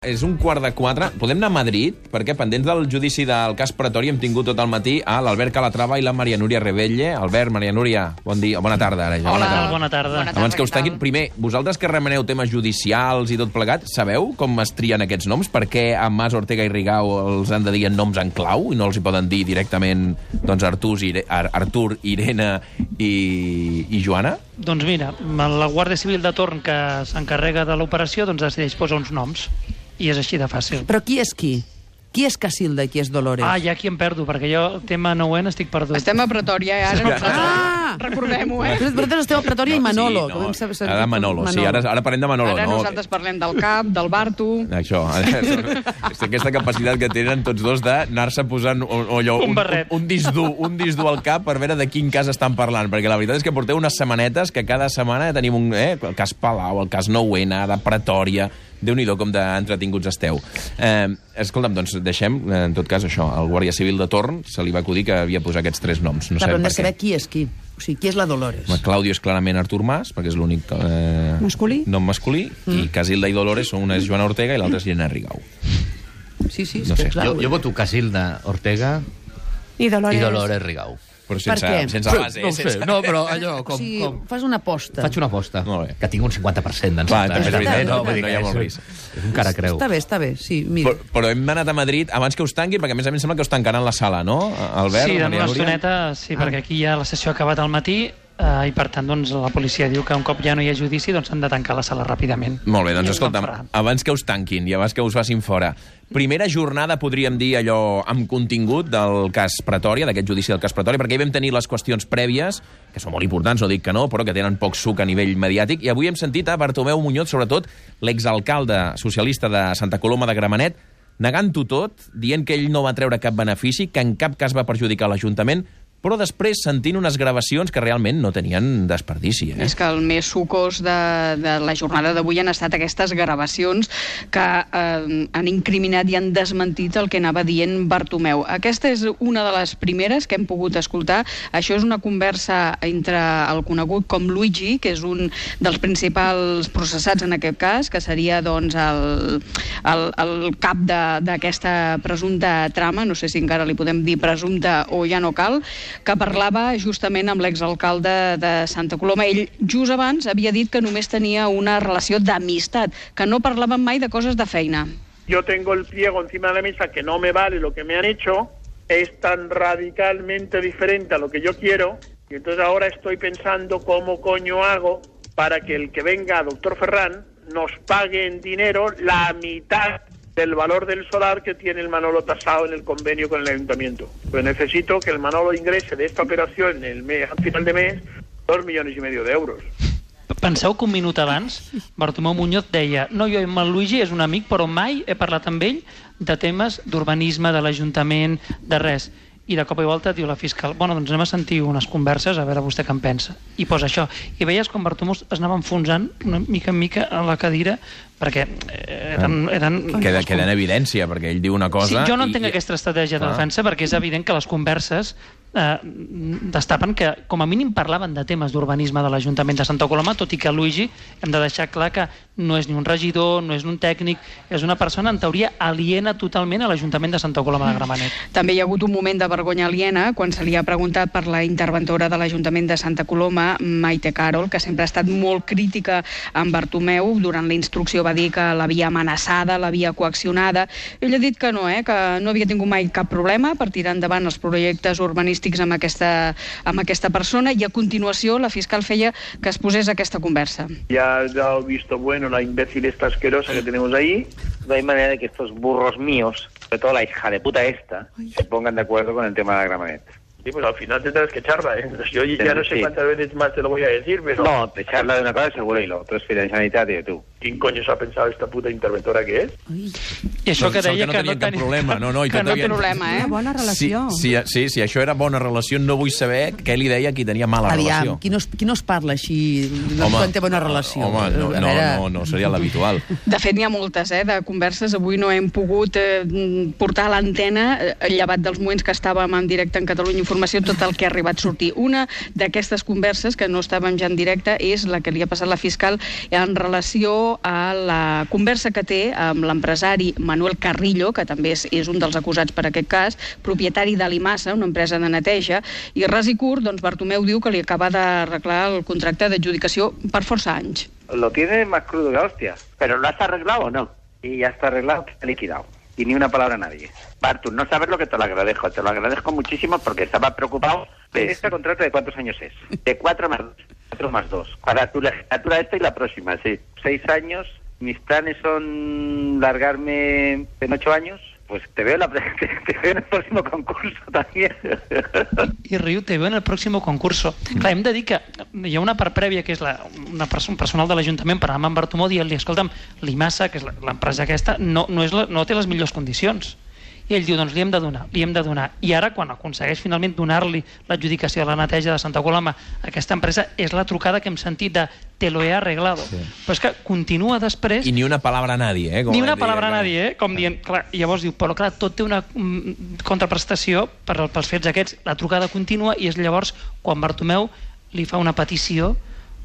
És 1:15. Podem anar a Madrid? Perquè pendents del judici del cas Pretori hem tingut tot el matí a l'Albert Calatrava i la Maria Núria Rebelle. Albert, Maria Núria, bon dia, bona tarda. Ara ja. Hola, bona tarda. Abans que us tanquin, primer, vosaltres que remeneu temes judicials i tot plegat, sabeu com es trien aquests noms? Per què a Mas, Ortega i Rigau els han de dir en noms en clau i no els hi poden dir directament doncs, Artur, Irene i Joana? Doncs mira, la Guàrdia Civil de torn que s'encarrega de l'operació doncs decideix posar uns noms. I és així de fàcil. Però qui és qui? Qui és Casilda i qui és Dolores? Ah, ja aquí em perdo, perquè jo el tema 9N estic perdut. Estem a Pretòria, ara recordem-ho, Vosaltres esteu a Pretòria i Manolo. Ara Manolo, sí, ara parlem de Manolo. Ara nosaltres parlem del Cap, del Bartu... Això, aquesta capacitat que tenen tots dos d'anar-se posant un disc dur al cap per veure de quin cas estan parlant, perquè la veritat és que porteu unes setmanetes que cada setmana tenim el cas Palau, el cas 9N, de Pretòria... Déu-n'hi-do com d'entretinguts esteu. Escolta'm, doncs deixem, en tot cas, això. Al Guàrdia Civil de torn se li va acudir que havia posat aquests tres noms. No però hem sabem de saber qui és qui. O sigui, qui és la Dolores? Claudio és clarament Artur Mas, perquè és l'únic nom masculí, i Casilda i Dolores són una és Joana Ortega i l'altra és Irene Rigau. Sí, no sé. clar. Jo voto Casilda, Ortega i Dolores Rigau. Però sense base. No ho sé, no, però allò... O sigui, fas una aposta. Faig una aposta, que tinc un 50% d'encertat. Clar, és veritat, no hi ha molt risc. És un cara creu. Està bé, sí, mira. Però hem anat a Madrid abans que us tanquin, perquè a més sembla que us tancaran la sala, no, Albert? Sí, en una estoneta, sí, perquè aquí ja la sessió ha acabat al matí, i per tant doncs, la policia diu que un cop ja no hi ha judici doncs han de tancar la sala ràpidament. Molt bé, doncs escolta'm, abans que us tanquin i abans que us facin fora, primera jornada, podríem dir, allò amb contingut del cas Pretòria, d'aquest judici del cas Pretòria, perquè hi vam tenir les qüestions prèvies, que són molt importants, no dic que no, però que tenen poc suc a nivell mediàtic, i avui hem sentit a Bartomeu Muñoz, sobretot l'exalcalde socialista de Santa Coloma de Gramenet, negant-ho tot, dient que ell no va treure cap benefici, que en cap cas va perjudicar l'Ajuntament, però després sentint unes gravacions que realment no tenien desperdici. És que el més sucós de la jornada d'avui han estat aquestes gravacions que han incriminat i han desmentit el que anava dient Bartomeu. Aquesta és una de les primeres que hem pogut escoltar. Això és una conversa entre el conegut com Luigi, que és un dels principals processats en aquest cas, que seria doncs, el cap d'aquesta presumpta trama, no sé si encara li podem dir presumpta o ja no cal, que parlava justament amb l'exalcalde de Santa Coloma. Ell, just abans, havia dit que només tenia una relació d'amistat, que no parlaven mai de coses de feina. Yo tengo el pliego encima de la mesa que no me vale lo que me han hecho, es tan radicalmente diferente a lo que yo quiero, y entonces ahora estoy pensando cómo coño hago para que el que venga, doctor Ferran, nos pague en dinero la mitad del valor del solar que tiene el Manolo tasado en el convenio con el ayuntamiento. Pues necesito que el Manolo ingrese de esta operación al final de mes 2,5 millones d'euros. Penseu que un minut abans Bartomeu Muñoz deia no, jo amb el Luigi és un amic, però mai he parlat amb ell de temes d'urbanisme, de l'Ajuntament, de res. I de cop i volta diu la fiscal, bueno, doncs anem a sentir unes converses, a veure vostè què en pensa. I posa això. I veies com Bartomeu es anava enfonsant una mica en mica a la cadira, perquè Queda en evidència, perquè ell diu una cosa... Sí, jo no entenc aquesta estratègia de defensa, perquè és evident que les converses destapen que com a mínim parlaven de temes d'urbanisme de l'Ajuntament de Santa Coloma, tot i que Luigi hem de deixar clar que no és ni un regidor, no és un tècnic, és una persona en teoria aliena totalment a l'Ajuntament de Santa Coloma de Gramenet. També hi ha hagut un moment de vergonya aliena quan se li ha preguntat per la interventora de l'Ajuntament de Santa Coloma, Maite Carol, que sempre ha estat molt crítica amb Bartomeu. Durant la instrucció va dir que l'havia amenaçada, l'havia coaccionada. Ell ha dit que no havia tingut mai cap problema per tirar endavant els projectes urbanístics amb aquesta persona, i a continuació la fiscal feia que es posés aquesta conversa. Ya has dado visto bueno la imbécil esta asquerosa que tenemos ahí. No hay manera de que estos burros míos, sobre todo la hija de puta esta, se pongan de acuerdo con el tema de la Gramenet. Sí, pues al final tendrás que echarla, ¿eh? Yo ya no sé cuántas veces más te lo voy a decir, pero... No, te echarla de una cosa seguro y lo otro es fidencialitat y tú. ¿Quién coño se ha pensado esta puta interventora que és? I això que deia que no tenia cap problema. Que no té problema, Una bona relació. Sí, això era bona relació, no vull saber què li deia qui tenia mala relació. Qui no es parla així quan té bona relació? Home, no seria l'habitual. De fet, n'hi ha moltes, de converses. Avui no hem pogut portar a l'antena, llevat dels moments que estàvem en directe en Catalunya informació tot el que ha arribat a sortir. Una d'aquestes converses, que no estàvem ja en directe, és la que li ha passat la fiscal en relació a la conversa que té amb l'empresari Manuel Carrillo, que també és un dels acusats per aquest cas, propietari de l'Imasa, una empresa de neteja, i ras i curt, doncs Bartomeu diu que li acaba d'arreglar el contracte d'adjudicació per força anys. Lo tiene más crudo que la hostia. ¿Pero lo has arreglado o no? Y ya está arreglado, está liquidado. Y ni una palabra a nadie. Bartu, no sabes lo que te lo agradezco muchísimo porque estaba preocupado. ¿Este contrato de cuántos años es? De 4 más 2. Para tu legislatura esta y la próxima, sí. 6 años. Mis planes son largarme en 8 años. Pues te veo en el próximo concurso también. I riu, te veo en el pròxim concurso. Clar, hem de dir que hi ha una part prèvia, que és un personal de l'Ajuntament, per anar amb Bartomeu dient-li, escolta'm, l'Imasa, que és l'empresa aquesta, no té les millors condicions. I ell diu, doncs li hem de donar. I ara, quan aconsegueix finalment donar-li l'adjudicació de la neteja de Santa Coloma a aquesta empresa, és la trucada que hem sentit de te lo he arreglado. Sí. Però és que continua després... I ni una palabra a nadie, Ni una palabra a nadie, com dient... Clar, llavors diu, però clar, tot té una contraprestació pels fets aquests. La trucada continua i és llavors quan Bartomeu li fa una petició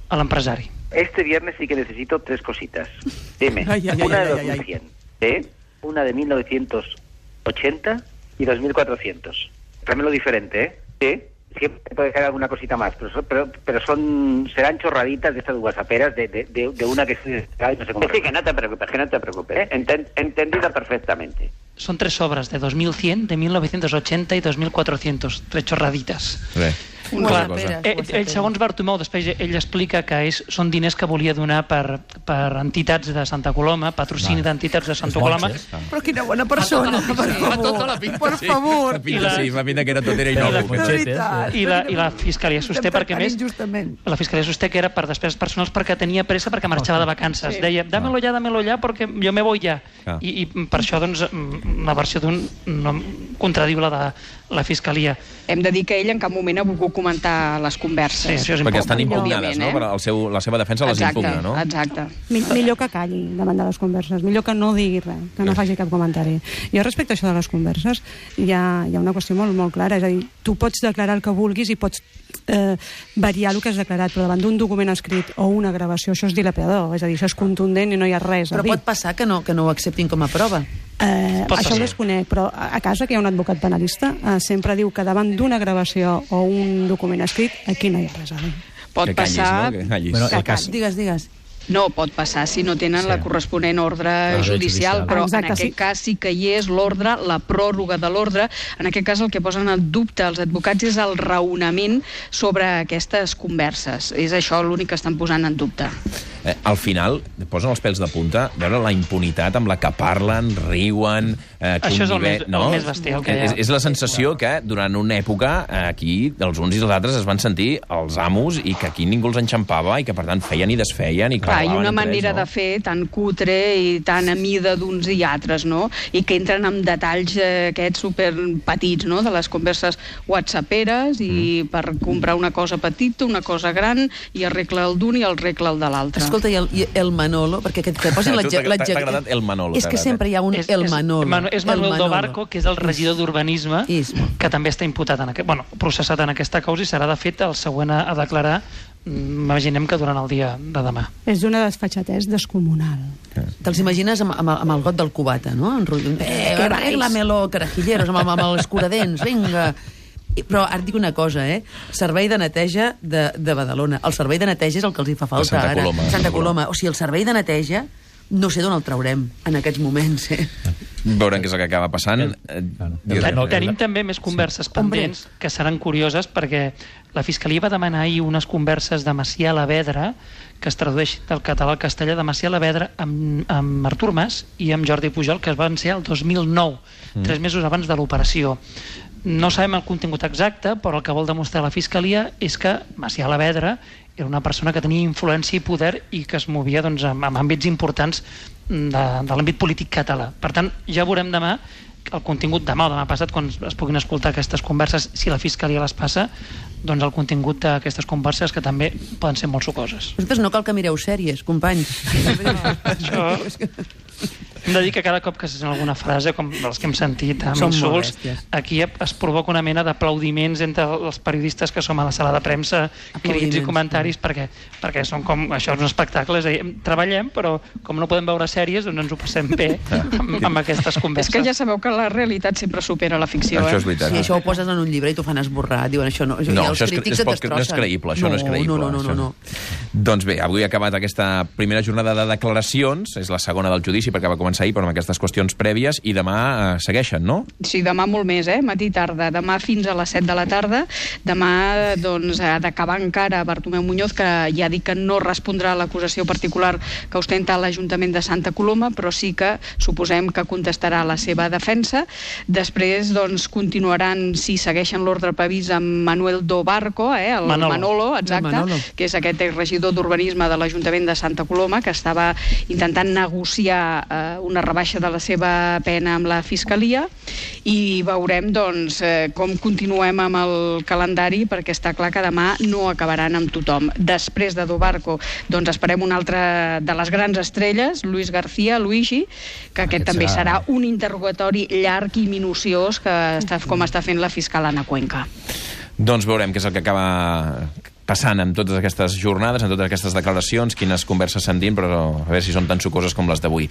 a l'empresari. Este viernes sí que necesito 3 cositas. Dime, una de 2100, una de 1980 y 2400. Tráemelo diferente, Sí. Siempre puede caer alguna cosita más, pero serán chorraditas de estas whatsapperas de una que no sé cómo. Sí, que no te preocupes. Entendido perfectamente. Son 3 obras de 2100, de 1980 y 2400. 3 chorraditas. Ell, segons Bartomeu, després ell explica que són diners que volia donar per entitats de Santa Coloma, patrocini d'entitats de Santa Coloma. Però quina bona persona, per favor. Sí, fa pinta que era tot, era innocu. I la Fiscalia sosté, perquè més, la Fiscalia sosté que era per despeses personals perquè tenia pressa, perquè marxava de vacances. Deia, dámelo ya, perquè jo me voy ya. I per això, doncs, la versió d'un no contradiu la de la Fiscalia. Hem de dir que ell en cap moment ha volgut comentar les converses. Sí, això és perquè estan impugnades, no? La seva defensa les impugna, no? Exacte. Millor que calli davant de les converses, millor que no digui res, que no faci cap comentari. Jo respecte a això de les converses hi ha una qüestió molt, molt clara, és a dir, tu pots declarar el que vulguis i pots variar el que has declarat, però davant d'un document escrit o una gravació, això és dilapidador, és a dir, això és contundent i no hi ha res a dir. Però pot passar que no ho acceptin com a prova? Això ho desconec, però a casa que hi ha un advocat penalista sempre diu que davant d'una gravació o un document escrit aquí no hi ha res a dir. Pot passar... Digues. No, pot passar si no tenen la corresponent ordre judicial, però en aquest cas sí que hi és l'ordre, la pròrroga de l'ordre. En aquest cas el que posen en dubte els advocats és el raonament sobre aquestes converses. És això l'únic que estan posant en dubte. Al final, posen els pèls de punta, veure la impunitat amb la que parlen, riuen... Això és el més bestial que hi ha. És la sensació que durant una època aquí els uns i els altres es van sentir els amos i que aquí ningú els enxampava i que per tant feien i desfeien i i una manera de fer tan cutre i tan a mida d'uns i altres, no? I que entren en detalls aquests superpetits, no? De les converses whatsapperes i per comprar una cosa petita, una cosa gran, i arregla el d'un i el regla el de l'altre. Escolta, i el Manolo, perquè que posin l'adjecte... T'ha agradat el Manolo. És que sempre hi ha un el Manolo. És Manuel Dobarco, que és el regidor d'Urbanisme, que també està imputat processat en aquesta causa i serà, de fet, el següent a declarar, imaginem que durant el dia de demà. És una desfatxatès descomunal. Te'ls imagines amb el got del cubata, no? Arregla-me-lo, carajilleros, amb l'escuradents, vinga... Però ara et dic una cosa, servei de neteja de Badalona. El servei de neteja és el que els hi fa falta ara. Santa Coloma. O sigui, el servei de neteja no sé d'on el traurem en aquests moments. Veurem què és el que acaba passant. Tenim també més converses pendents que seran curioses, perquè la Fiscalia va demanar ahir unes converses de Macià Alavedra, que es tradueix del català al castellà, de Macià Alavedra amb Artur Mas i amb Jordi Pujol, que es van ser el 2009, 3 mesos abans de l'operació. No sabem el contingut exacte, però el que vol demostrar la Fiscalia és que Macià Alavedra era una persona que tenia influència i poder i que es movia en àmbits importants de l'àmbit polític català. Per tant, ja veurem demà el contingut, demà o demà passat, quan es puguin escoltar aquestes converses, si la Fiscalia les passa, doncs el contingut d'aquestes converses, que també poden ser molt sucoses. Vosaltres no cal que mireu sèries, companys. Això... Hem de dir que cada cop que se sent alguna frase, com les que hem sentit amb Són molt insults, bèsties. aquí es provoca una mena d'aplaudiments entre els periodistes que som a la sala de premsa, crits i comentaris, perquè són com... Això és un espectacle, és a dir, treballem, però com no podem veure sèries, doncs ens ho passem bé amb aquestes converses. És que ja sabeu que la realitat sempre supera la ficció, Això és veritat. Sí, això ho poses en un llibre i t'ho fan esborrar. Diuen, això no, No, els això crítics et destrossen. no és creïble, això no és creïble. No. Doncs bé, avui ha acabat aquesta primera jornada de declaracions, és la segona del judici perquè va començar ahir, però amb aquestes qüestions prèvies, i demà segueixen, no? Sí, demà molt més, matí i tarda. Demà fins a les 7 de la tarda. Demà, doncs, ha d'acabar encara Bartomeu Muñoz, que ja dic que no respondrà a l'acusació particular que ostenta l'Ajuntament de Santa Coloma, però sí que suposem que contestarà la seva defensa. Després, doncs, continuaran, si segueixen l'ordre previst, amb Manuel Dobarco, el Manolo, exacte, que és aquest regidor d'Urbanisme de l'Ajuntament de Santa Coloma, que estava intentant negociar una rebaixa de la seva pena amb la Fiscalia, i veurem, doncs, com continuem amb el calendari, perquè està clar que demà no acabaran amb tothom. Després de Dobarco, doncs esperem una altra de les grans estrelles, Luis García, Luigi, que aquest també serà un interrogatori llarg i minuciós, com està fent la fiscal Anna Cuenca. Doncs veurem què és el que acaba passant amb totes aquestes jornades, amb totes aquestes declaracions, quines converses s'endint, però a veure si són tan sucoses com les d'avui.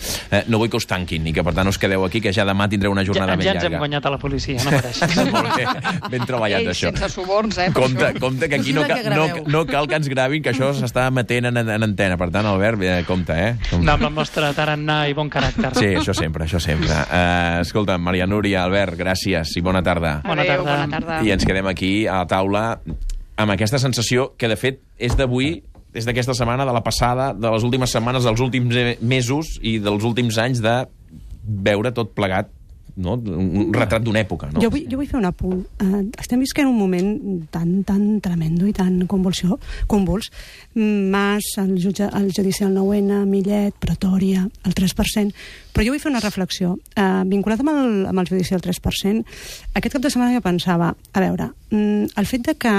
No vull que us tanquin i que per tant us quedeu aquí, que ja demà tindreu una jornada ben llarga. Ja ens hem guanyat a la policia, no mereixes. Molt bé, ben treballat, això. Sense suborns, Compte, que aquí no cal que ens gravin, que això s'està emetent en antena. Per tant, Albert, compte, No, amb el nostre tarannà i bon caràcter. Sí, això sempre. Escolta, Maria Núria, Albert, gràcies i bona tarda. Bona tarda. I ens quedem aquí a la taula amb aquesta sensació que, de fet, és d'avui, és d'aquesta setmana, de la passada, de les últimes setmanes, dels últims mesos i dels últims anys, de veure tot plegat, no? Un retrat d'una època. No? Jo vull fer un apunt. Estem visquent un moment tan tremendo i tan convuls. Mas, el judici del 9-N, Millet, Pretòria, el 3%. Però jo vull fer una reflexió. Vinculat amb el judici del 3%, aquest cap de setmana jo pensava, a veure, el fet de que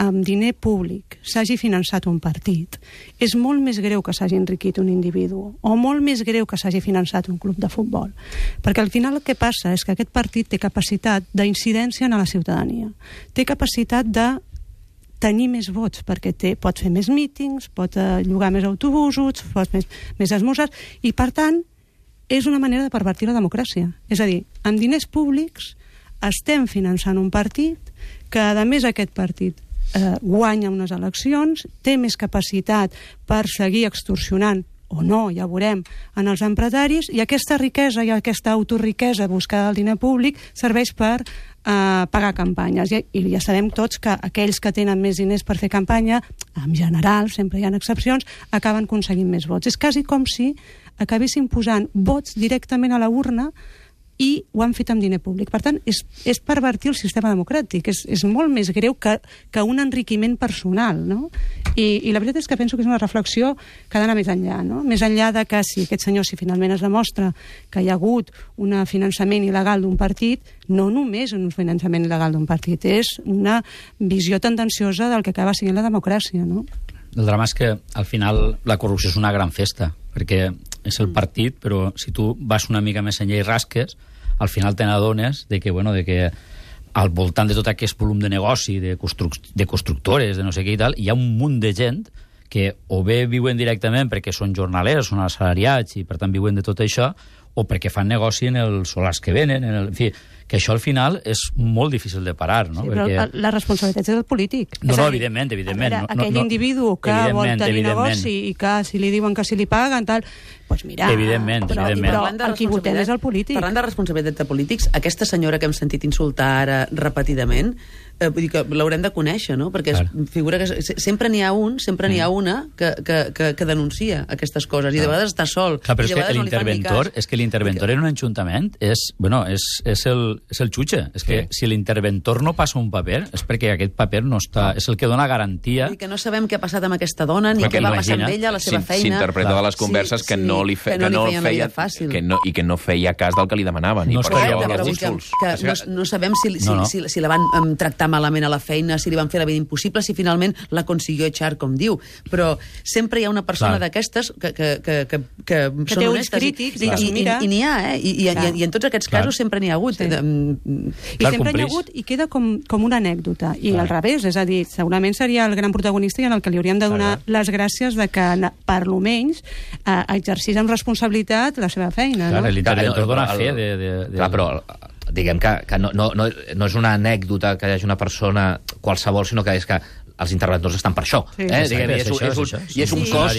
amb diner públic s'hagi finançat un partit és molt més greu que s'hagi enriquit un individu, o molt més greu que s'hagi finançat un club de futbol. Perquè al final el que passa és que aquest partit té capacitat d'incidència en la ciutadania, té capacitat de tenir més vots, perquè pot fer més mítings, pot llogar més autobusos, pot més esmorzars, i per tant és una manera de pervertir la democràcia. És a dir, amb diners públics estem finançant un partit que, a més, aquest partit guanya unes eleccions, té més capacitat per seguir extorsionant o no, ja veurem, en els empresaris, i aquesta riquesa i aquesta autoriquesa buscada del diner públic serveix per pagar campanyes. I ja sabem tots que aquells que tenen més diners per fer campanya, en general, sempre hi ha excepcions, acaben aconseguint més vots. És quasi com si acabessin posant vots directament a la urna i ho han fet amb diner públic. Per tant, és pervertir el sistema democràtic. És molt més greu que un enriquiment personal, no? I la veritat és que penso que és una reflexió que ha d'anar més enllà, no? Més enllà de que si aquest senyor, si finalment es demostra que hi ha hagut un finançament il·legal d'un partit, no només un finançament il·legal d'un partit, és una visió tendenciosa del que acaba sent la democràcia, no? El drama és que, al final, la corrupció és una gran festa, perquè és el partit, però si tu vas una mica més enllà i rasques, al final te n'adones de que al voltant de tot aquest volum de negoci, de constructores, de no sé què i tal, hi ha un munt de gent que o bé viuen directament perquè són jornalers, són assalariats i per tant viuen de tot això, o perquè fan negoci en els solars que venen, en fi, que això al final és molt difícil de parar, no? Sí, però la responsabilitat és del polític. No, evidentment. Aquell individu que vol tenir negoci i que si li diuen que si li paguen, tal, doncs mira... Evidentment. Però el qui votem és el polític. Parlant de responsabilitat de polítics, aquesta senyora que hem sentit insultar ara repetidament, vull dir que l'haurem de conèixer, no? Perquè figura que sempre n'hi ha una que denuncia aquestes coses, i de vegades està sol. Clar, però és que l'interventor en un ajuntament és el xutxe. És que si l'interventor no passa un paper és perquè aquest paper no està... És el que dona garantia... I que no sabem què ha passat amb aquesta dona, ni què va passar amb ella, la seva feina... S'interpreta de les converses que no li feia fàcil. I que no feia cas del que li demanaven. I per això els insults. No sabem si la van tractar malament a la feina, si li van fer la vida impossible, si finalment la consiguió echar, com diu. Però sempre hi ha una persona d'aquestes que són honestes. I n'hi ha, i en tots aquests casos sempre n'hi ha hagut. I sempre n'hi ha hagut i queda com una anècdota. I al revés, és a dir, segurament seria el gran protagonista i en el que li hauríem de donar les gràcies de que, per lo menys, exercís amb responsabilitat la seva feina. Clar, l'interventor dona fe de... Clar, però diguem que no és una anècdota que hi hagi una persona qualsevol, sinó que és que els interventors estan per això. I és un cost...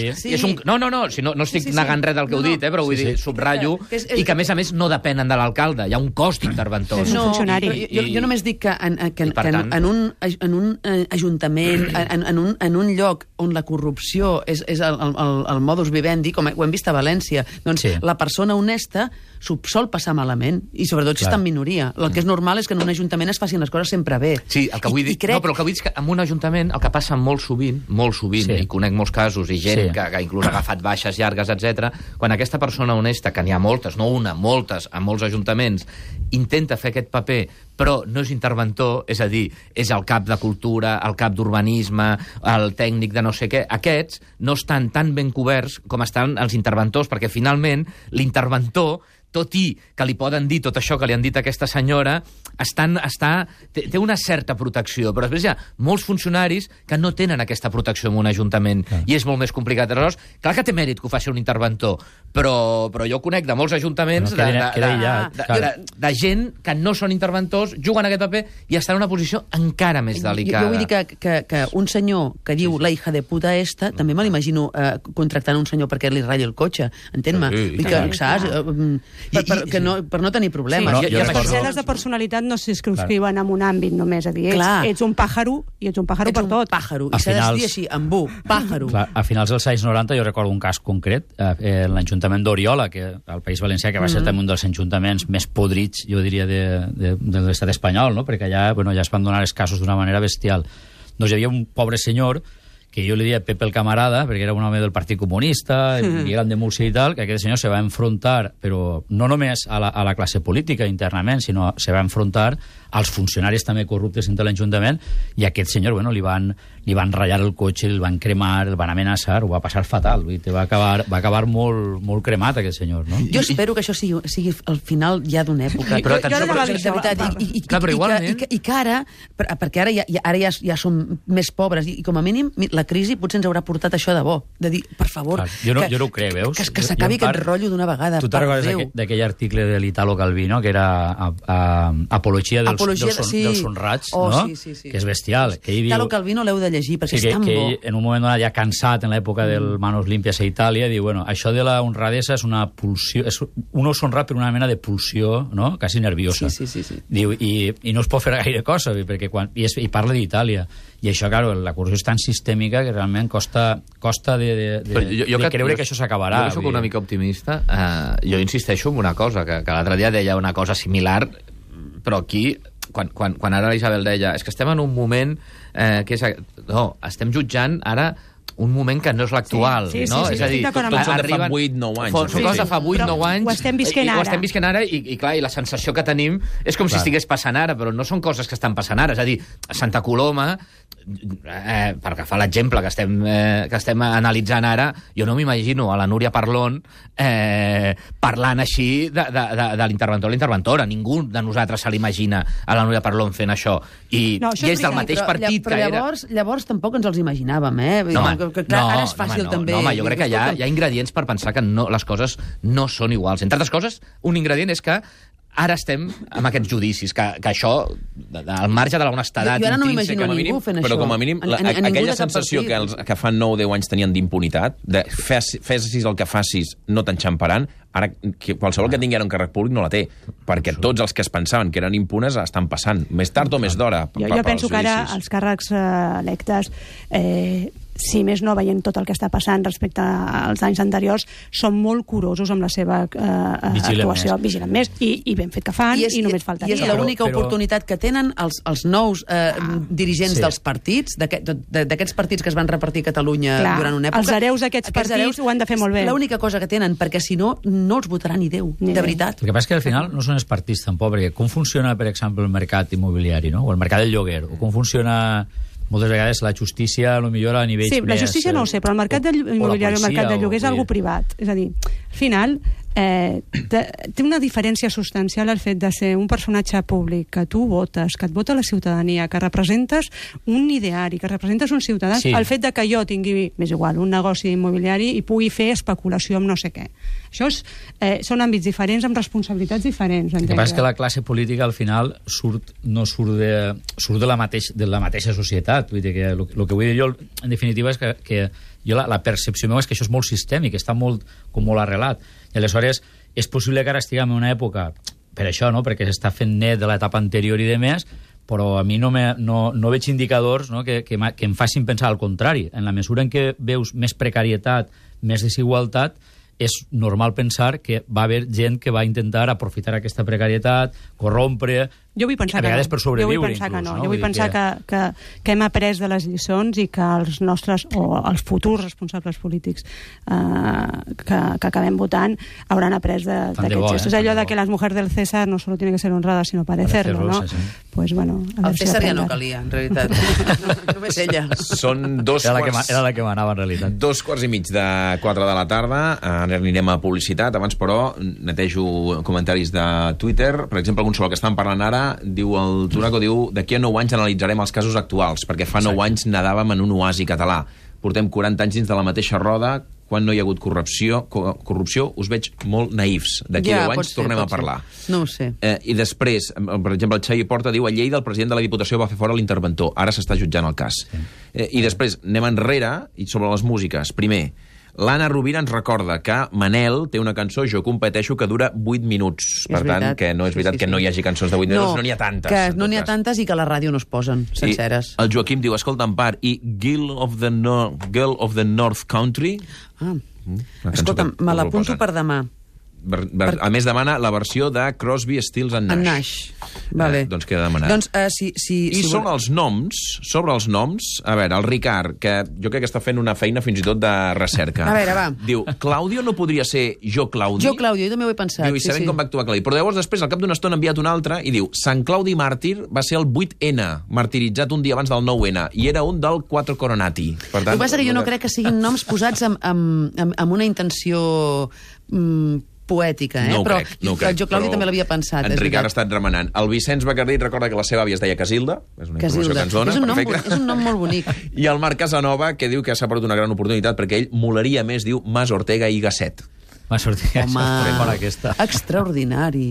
No estic negant res del que heu dit, però vull dir, subratllo, i que a més no depenen de l'alcalde. Hi ha un cost d'interventors. Jo només dic que en un ajuntament, en un lloc on la corrupció és el modus vivendi, com ho hem vist a València, doncs la persona honesta s'ho sol passar malament, i sobretot si està en minoria. El que és normal és que en un ajuntament es facin les coses sempre bé. Sí, el que vull dir... No, però el que vull dir és que en un ajuntament el que passa molt sovint, i conec molts casos, i gent que inclús ha agafat baixes llargues, etc. Quan aquesta persona honesta, que n'hi ha moltes, no una, moltes, en molts ajuntaments, intenta fer aquest paper, però no és interventor, és a dir, és el cap de cultura, el cap d'urbanisme, el tècnic de no sé què, aquests no estan tan ben coberts com estan els interventors, perquè finalment l'interventor, tot i que li poden dir tot això que li han dit a aquesta senyora, té una certa protecció, però després hi ha molts funcionaris que no tenen aquesta protecció en un ajuntament, i és molt més complicat. Aleshores, clar que té mèrit que ho faci un interventor, però jo conec de molts ajuntaments de gent que no són interventors, juguen aquest paper i estan en una posició encara més delicada. Jo vull dir que un senyor que diu la hija de puta esta, també me l'imagino contractant un senyor perquè li ratlli el cotxe, entén-me? Per no tenir problemes. Les parcel·les de personalitat no s'inscriuen en un àmbit només, a dir, ets un pàjaro i ets un pàjaro per tot. Ets un pàjaro, i s'ha de dir així, embú, pàjaro. A finals dels anys 90 jo recordo un cas concret, l'Ajuntament d'Oriola, que al País Valencià, que va ser també un dels ajuntaments més podrits, jo diria, de l'estat espanyol, perquè allà es van donar els casos d'una manera bestial. Doncs hi havia un pobre senyor que jo li deia Pepe el camarada, perquè era un home del Partit Comunista, i gran de Múrcia i tal, que aquest senyor se va enfrontar, però no només a la classe política internament, sinó se va enfrontar als funcionaris també corruptes entre l'Ajuntament, i aquest senyor, li van ratllar el cotxe, el van cremar, el van amenaçar, ho va passar fatal, va acabar molt cremat aquest senyor, no? Jo espero que això sigui el final ja d'una època. Però atenció, i que ara, perquè ara ja som més pobres, i com a mínim la crisi potser ens haurà portat això de bo, de dir, per favor, jo no ho crec, veus? Que s'acabi aquest rotllo d'una vegada. Tu te'n recordes d'aquell article de l'Italo Calvino, que era apologia dels honrats, no? Que és bestial. Italo Calvino l'heu de llegir, perquè és tan bo. Que en un moment donat, ja cansat en l'època del Manos Limpias a Itàlia, diu, això de la honradesa és una pulsió, un és honrat per una mena de pulsió, no?, quasi nerviosa. Diu, i no es pot fer gaire cosa, perquè i parla d'Itàlia. I això, clar, la corrupció és tan sistèmica que realment costa de creure que això s'acabarà. Jo soc una mica optimista. Jo insisteixo en una cosa, que l'altre dia deia una cosa similar, però aquí, quan ara l'Isabel deia, és que estem en un moment que és... No, estem jutjant ara un moment que no és l'actual, no? És a dir, tots són de fa 8-9 anys. Són coses de fa 8-9 anys. Ho estem visquent ara. Ho estem visquent ara i clar, i la sensació que tenim és com si estigués passant ara, però no són coses que estan passant ara. És a dir, a Santa Coloma, per agafar l'exemple que estem analitzant ara, jo no m'imagino a la Núria Parlon parlant així de l'interventor o l'interventora. Ningú de nosaltres se l'imagina a la Núria Parlon fent això. I és del mateix partit que era... Però llavors tampoc ens els imaginàvem, ara és fàcil també. No, jo crec que hi ha ingredients per pensar que les coses no són iguals. Entre altres coses, un ingredient és que ara estem amb aquests judicis, que això, al marge de l'honestedat jo ara no m'imagino ningú fent això. Però com a mínim, aquella sensació que fa 9 o 10 anys tenien d'impunitat, de fessis el que facis, no t'enxamparan, ara qualsevol que tingui ara un càrrec públic no la té, perquè tots els que es pensaven que eren impunes estan passant, més tard o més d'hora. Jo penso que ara els càrrecs electes si més no veient tot el que està passant respecte als anys anteriors, són molt curosos amb la seva actuació, vigilen més, i ben fet que fan, i només faltaria. I és l'única oportunitat que tenen els nous dirigents dels partits, d'aquests partits que es van repartir a Catalunya durant una època. Els hereus d'aquests partits ho han de fer molt bé. L'única cosa que tenen, perquè si no, no els votarà ni Déu, de veritat. El que passa és que al final no són els partits tampoc, perquè com funciona, per exemple, el mercat immobiliari, no? O el mercat del lloguer, o com funciona moltes vegades la justícia, potser a nivells més... Sí, la justícia no ho sé, però el mercat immobiliari o el mercat del lloguer és algo privat. És a dir, al final, té una diferència substancial el fet de ser un personatge públic, que tu votes, que et vota la ciutadania, que representes un ideari, que representes un ciutadà, el fet de que jo tingui, més igual, un negoci immobiliari i pugui fer especulació amb no sé què. Això són àmbits diferents amb responsabilitats diferents. El que passa és que la classe política al final no surt de la mateixa societat. Vull dir que el que vull dir jo, en definitiva, és que jo la percepció meva és que això és molt sistèmic, està molt arrelat. I aleshores és possible que ara estiguem en una època, per això, no? Perquè s'està fent net de l'etapa anterior i de més, però a mi no veig indicadors, no? que em facin pensar al contrari. En la mesura en què veus més precarietat, més desigualtat, és normal pensar que va haver gent que va intentar aprofitar aquesta precarietat, corrompre, jo vull pensar a vegades per sobreviure. Jo vull pensar inclús, jo vull pensar que hem après de les lliçons i que els nostres, o els futurs responsables polítics que acabem votant hauran après d'aquests gestos. És allò de que les mujeres del César no solo tienen que ser honradas, sino parecerlo, ¿no? Sí. Pues bueno... El César ja no calia, en realitat. Només ella. Són era la que manava, en realitat. 2:15 de la tarda. Ara anirem a publicitat. Abans, però, netejo comentaris de Twitter. Per exemple, algun sobre el que estan parlant ara, diu el Turaco, d'aquí a 9 anys analitzarem els casos actuals, perquè fa 9 anys nadàvem en un oasi català. Portem 40 anys dins de la mateixa roda, quan no hi ha hagut corrupció, us veig molt naïfs. D'aquí a 10 anys tornem a parlar. No ho sé. I després, per exemple, el Xavi Porta diu: a Lleida el president de la Diputació va fer fora l'interventor, ara s'està jutjant el cas. I després anem enrere, i sobre les músiques. Primer, l'Anna Rovira ens recorda que Manel té una cançó, Jo competeixo, que dura 8 minuts. Per tant, que no és veritat que no hi hagi cançons de 8 minuts, no n'hi ha tantes. Que no n'hi ha tantes i que a la ràdio no es posen senceres. El Joaquim diu: escolta, Empar, i Girl of the North Country? Escolta, me l'apunto per demà. A més, demana la versió de Crosby, Stills and Nash. Vale. Doncs queda demanat. Doncs, sobre els noms, a veure, el Ricard, que jo crec que està fent una feina fins i tot de recerca. A veure, va. Diu: Claudio no podria ser Jo Claudi? Jo Claudio, jo també ho he pensat. Diu, i sabem com va actuar Claudi. Però llavors després, al cap d'una estona, ha enviat un altre i diu: Sant Claudi Màrtir va ser el 8N, martiritzat un dia abans del 9N, i era un del 4 Coronati. Per tant, el que passa que jo no crec que siguin noms posats amb una intenció poètica, No ho però crec, Jo Claudi també l'havia pensat. En Ricard ha estat remenant. El Vicenç Bacardí recorda que la seva àvia es deia Casilda, és una informació que ens dona, és un nom molt bonic. I el Marc Casanova, que diu que s'ha perdut una gran oportunitat perquè ell molaria més, diu, Mas Ortega i Gasset. Mas Ortega, home, extraordinari.